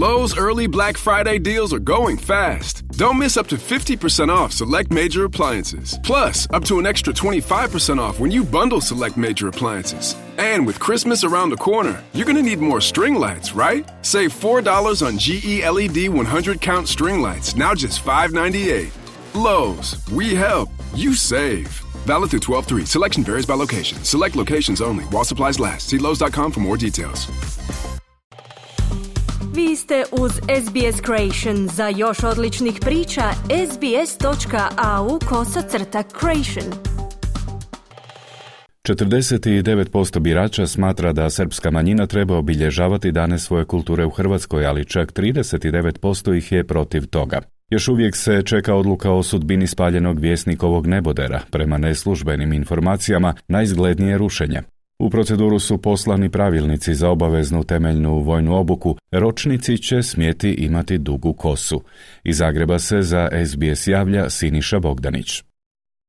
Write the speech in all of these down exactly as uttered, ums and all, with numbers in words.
Lowe's early Black Friday deals are going fast. Don't miss up to fifty percent off select major appliances. Plus, up to an extra twenty-five percent off when you bundle select major appliances. And with Christmas around the corner, you're going to need more string lights, right? Save four dollars on G E L E D one hundred count string lights, now just five ninety-eight. Lowe's, we help, you save. Valid through twelve three. Selection varies by location. Select locations only. While supplies last. See lowes dot com for more details. Vi ste uz S B S Creation. Za još odličnih priča, sbs.au kosacrta creation. četrdeset devet posto birača smatra da srpska manjina treba obilježavati dane svoje kulture u Hrvatskoj, ali čak trideset devet posto ih je protiv toga. Još uvijek se čeka odluka o sudbini spaljenog Vjesnikovog nebodera, prema neslužbenim informacijama najizglednije rušenje. U proceduru su poslani pravilnici za obaveznu temeljnu vojnu obuku, ročnici će smjeti imati dugu kosu. Iz Zagreba se za S B S javlja Siniša Bogdanić.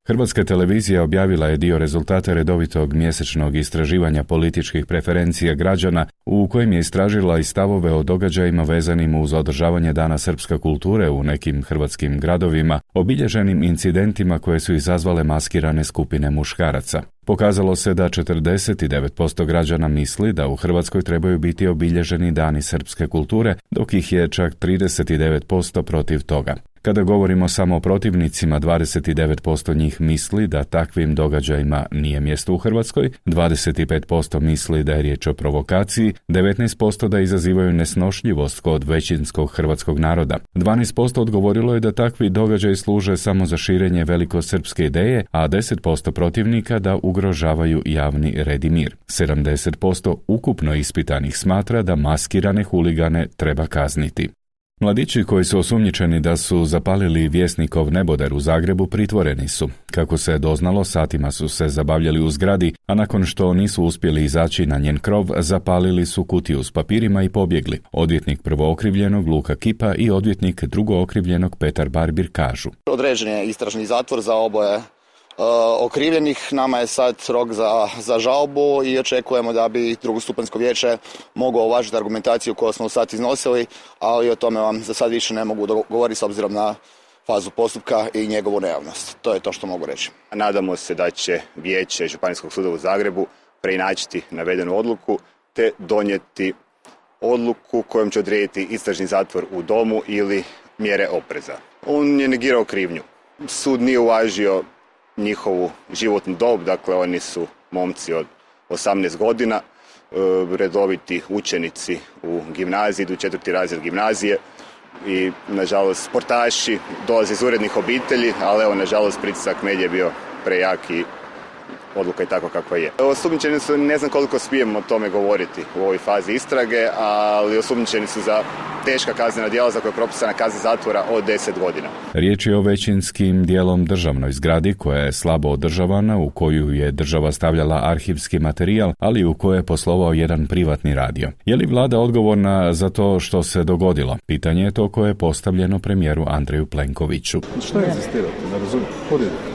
Hrvatska televizija objavila je dio rezultata redovitog mjesečnog istraživanja političkih preferencija građana u kojem je istražila i stavove o događajima vezanim uz održavanje Dana srpske kulture u nekim hrvatskim gradovima, obilježenim incidentima koje su izazvale maskirane skupine muškaraca. Pokazalo se da četrdeset devet posto građana misli da u Hrvatskoj trebaju biti obilježeni Dani srpske kulture, dok ih je čak trideset devet posto protiv toga. Kada govorimo samo o protivnicima, dvadeset devet posto njih misli da takvim događajima nije mjesto u Hrvatskoj, dvadeset pet posto misli da je riječ o provokaciji, devetnaest posto da izazivaju nesnošljivost kod većinskog hrvatskog naroda. dvanaest posto odgovorilo je da takvi događaji služe samo za širenje velikosrpske ideje, a deset posto protivnika da ugrožavaju javni red i mir. sedamdeset posto ukupno ispitanih smatra da maskirane huligane treba kazniti. Mladići koji su osumnjičeni da su zapalili Vjesnikov neboder u Zagrebu pritvoreni su. Kako se doznalo, satima su se zabavljali u zgradi, a nakon što nisu uspjeli izaći na njen krov, zapalili su kutiju s papirima i pobjegli. Odvjetnik prvookrivljenog Luka Kipa i odvjetnik drugookrivljenog Petar Barbir kažu: Određen je istražni zatvor za oboje Uh, okrivljenih. Nama je sad rok za, za žalbu i očekujemo da bi drugostupanjsko vijeće moglo uvažiti argumentaciju koju smo sad iznosili, ali o tome vam za sad više ne mogu govoriti s obzirom na fazu postupka i njegovu nejavnost. To je to što mogu reći. Nadamo se da će vijeće Županijskog suda u Zagrebu preinačiti navedenu odluku te donijeti odluku kojom će odrediti istražni zatvor u domu ili mjere opreza. On je negirao krivnju. Sud nije uvažio njihovu životnu dob, dakle oni su momci od osamnaest godina, redoviti učenici u gimnaziji, idu četvrti razred gimnazije i nažalost sportaši, dolaze iz urednih obitelji, ali evo nažalost pritisak medija je bio prejak i odluka je tako kakva je. Osumnjičeni su, ne znam koliko smijemo o tome govoriti u ovoj fazi istrage, ali osumnjičeni su za teška kaznena djela za koje je propisana kazna zatvora od deset godina. Riječ je o većinskim dijelom državnoj zgradi koja je slabo održavana, u koju je država stavljala arhivski materijal, ali u kojoj je poslovao jedan privatni radio. Je li vlada odgovorna za to što se dogodilo? Pitanje je to koje je postavljeno premijeru Andreju Plenkoviću. Što je inzistirate? Ne razumijem.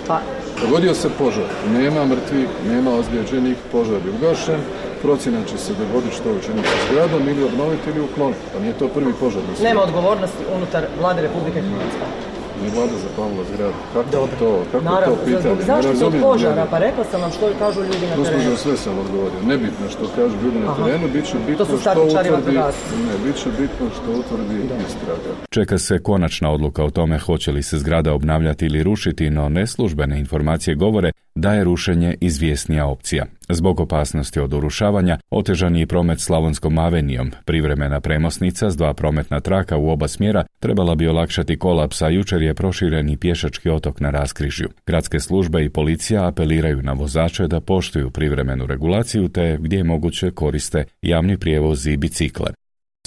Pa. Dogodio se požar. Nema mrtvih, nema ozlijeđenih, požar je ugašen. Procjena će se dogoditi što učiniti s zgradom ili obnoviti ili ukloniti. Pa nije to prvi požar. Nema odgovornosti unutar vlade Republike Hrvatske. Nije vlada zapalila zgradu. Kako Dobre. to? Kako Naravno, to pitanje? Zašto su od požara? Pa rekla sam vam što kažu ljudi na terenu. Gospođo, sve sam odgovorio. Nebitno što kažu ljudi na terenu, bit će bitno što utvrdi. Ne, bit će bitno što utvrdi istraga. Čeka se konačna odluka o tome hoće li se zgrada obnavljati ili rušiti, no neslužbene informacije govore da je rušenje izvjesnija opcija. Zbog opasnosti od urušavanja, otežan je i promet Slavonskom avenijom. Privremena premosnica s dva prometna traka u oba smjera trebala bi olakšati kolaps, a jučer je proširen i pješački otok na raskrižju. Gradske službe i policija apeliraju na vozače da poštuju privremenu regulaciju te gdje je moguće koriste javni prijevoz i bicikle.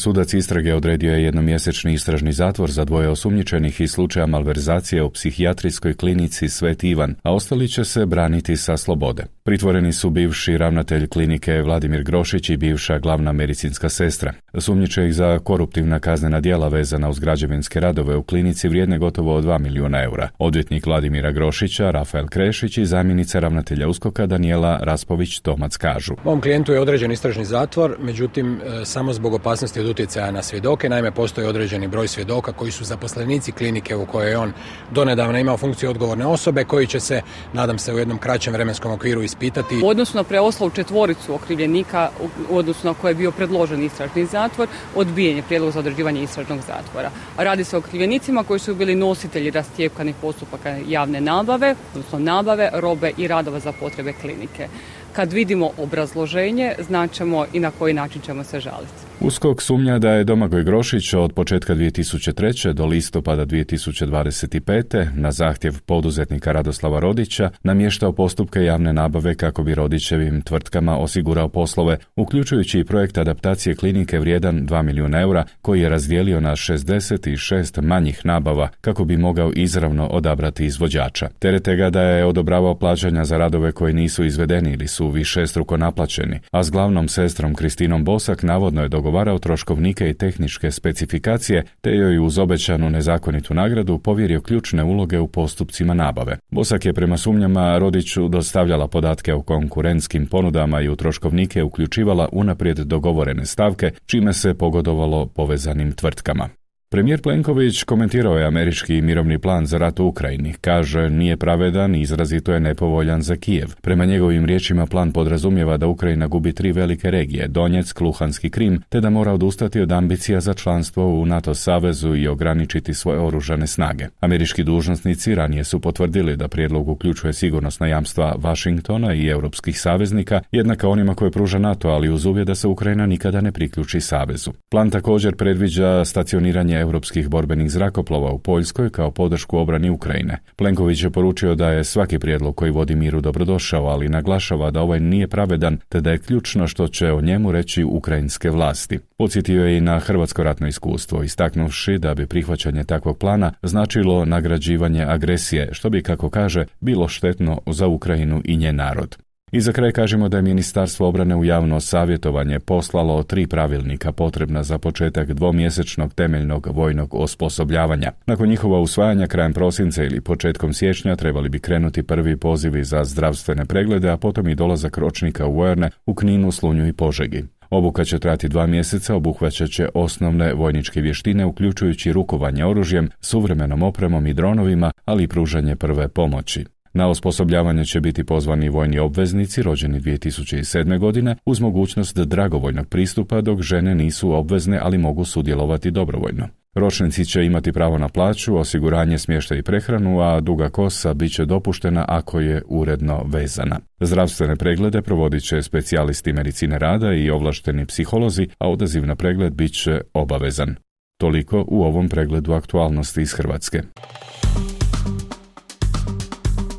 Sudac istrage odredio je jednomjesečni istražni zatvor za dvoje osumnjičenih iz slučaja malverzacije u psihijatrijskoj klinici Sveti Ivan, a ostali će se braniti sa slobode. Pritvoreni su bivši ravnatelj klinike Vladimir Grošić i bivša glavna medicinska sestra. Sumnjiče ih za koruptivna kaznena djela vezana uz građevinske radove u klinici vrijedne gotovo dva milijuna eura. Odvjetnik Vladimira Grošića, Rafael Krešić i zamjenica ravnatelja USKOK-a Danijela Raspović-Tomac kažu: Ovom klijentu je određen istražni zatvor, međutim samo zbog opasnosti od utjecaja na svjedoke. Naime, postoji određeni broj svjedoka koji su zaposlenici klinike u kojoj je on donedavno imao funkciju odgovorne osobe, koji će se, nadam se, u jednom kraćem vremenskom okviru ispitati. U odnosu na preostalu četvoricu okrivljenika, u odnosu na koje je bio predložen istražni zatvor, odbijen je prijedlog za određivanje istražnog zatvora. Radi se o okrivljenicima koji su bili nositelji rastjepkanih postupaka javne nabave, odnosno nabave, robe i radova za potrebe klinike. Kad vidimo obrazloženje, znaćemo i na koji način ćemo se žaliti. USKOK sumnja da je Domagoj Grošić od početka dvije tisuće treće. do listopada dvije tisuće dvadeset pete. na zahtjev poduzetnika Radoslava Rodića namještao postupke javne nabave kako bi Rodićevim tvrtkama osigurao poslove, uključujući i projekt adaptacije klinike vrijedan dva milijuna eura, koji je razdijelio na šezdeset šest manjih nabava kako bi mogao izravno odabrati izvođača. Terete ga da je odobravao plaćanja za radove koji nisu izvedeni ili su višestruko naplaćeni, a s glavnom sestrom Kristinom Bosak navodno je dogovarao troškovnike i tehničke specifikacije, te joj uz obećanu nezakonitu nagradu povjerio ključne uloge u postupcima nabave. Bosak je prema sumnjama Rodiću dostavljala podatke o konkurentskim ponudama i u troškovnike uključivala unaprijed dogovorene stavke, čime se pogodovalo povezanim tvrtkama. Premijer Plenković komentirao je američki mirovni plan za rat u Ukrajini. Kaže, nije pravedan i izrazito je nepovoljan za Kijev. Prema njegovim riječima plan podrazumijeva da Ukrajina gubi tri velike regije, Donjeck, Luhanski Krim, te da mora odustati od ambicija za članstvo u NATO savezu i ograničiti svoje oružane snage. Američki dužnosnici ranije su potvrdili da prijedlog uključuje sigurnosna jamstva Washingtona i europskih saveznika, jednaka onima koje pruža NATO, ali uz uvjet da se Ukrajina nikada ne priključi savezu. Plan također predviđa stacioniranje europskih borbenih zrakoplova u Poljskoj kao podršku obrani Ukrajine. Plenković je poručio da je svaki prijedlog koji vodi miru dobrodošao, ali naglašava da ovaj nije pravedan, te da je ključno što će o njemu reći ukrajinske vlasti. Podsjetio je i na hrvatsko ratno iskustvo, istaknuvši da bi prihvaćanje takvog plana značilo nagrađivanje agresije, što bi, kako kaže, bilo štetno za Ukrajinu i njen narod. I za kraj kažemo da je Ministarstvo obrane u javno savjetovanje poslalo tri pravilnika potrebna za početak dvomjesečnog temeljnog vojnog osposobljavanja. Nakon njihova usvajanja krajem prosinca ili početkom siječnja trebali bi krenuti prvi pozivi za zdravstvene preglede, a potom i dolazak ročnika u vojne u Kninu, Slunju i Požegi. Obuka će trajati dva mjeseca, obuhvaćat će osnovne vojničke vještine, uključujući rukovanje oružjem, suvremenom opremom i dronovima, ali i pružanje prve pomoći. Na osposobljavanje će biti pozvani vojni obveznici rođeni dvije tisuće sedme. godine uz mogućnost dragovoljnog pristupa, dok žene nisu obvezne, ali mogu sudjelovati dobrovoljno. Ročnici će imati pravo na plaću, osiguranje, smještaj i prehranu, a duga kosa bit će dopuštena ako je uredno vezana. Zdravstvene preglede provodit će specijalisti medicine rada i ovlašteni psiholozi, a odaziv na pregled bit će obavezan. Toliko u ovom pregledu aktualnosti iz Hrvatske.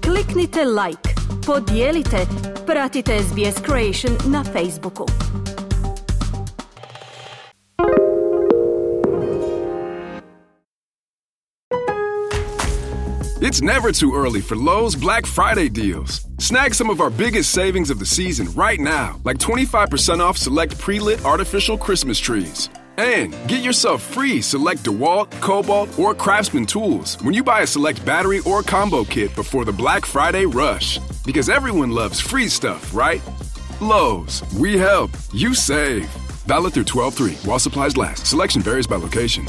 Kliknite like, podijelite, pratite S B S Creation na Facebooku. It's never too early for Lowe's Black Friday deals. Snag some of our biggest savings of the season right now, like twenty-five percent off select pre-lit artificial Christmas trees. And get yourself free select DeWalt, Cobalt, or Craftsman tools when you buy a select battery or combo kit before the Black Friday rush. Because everyone loves free stuff, right? Lowe's, we help, you save. Valid through twelve three while supplies last. Selection varies by location.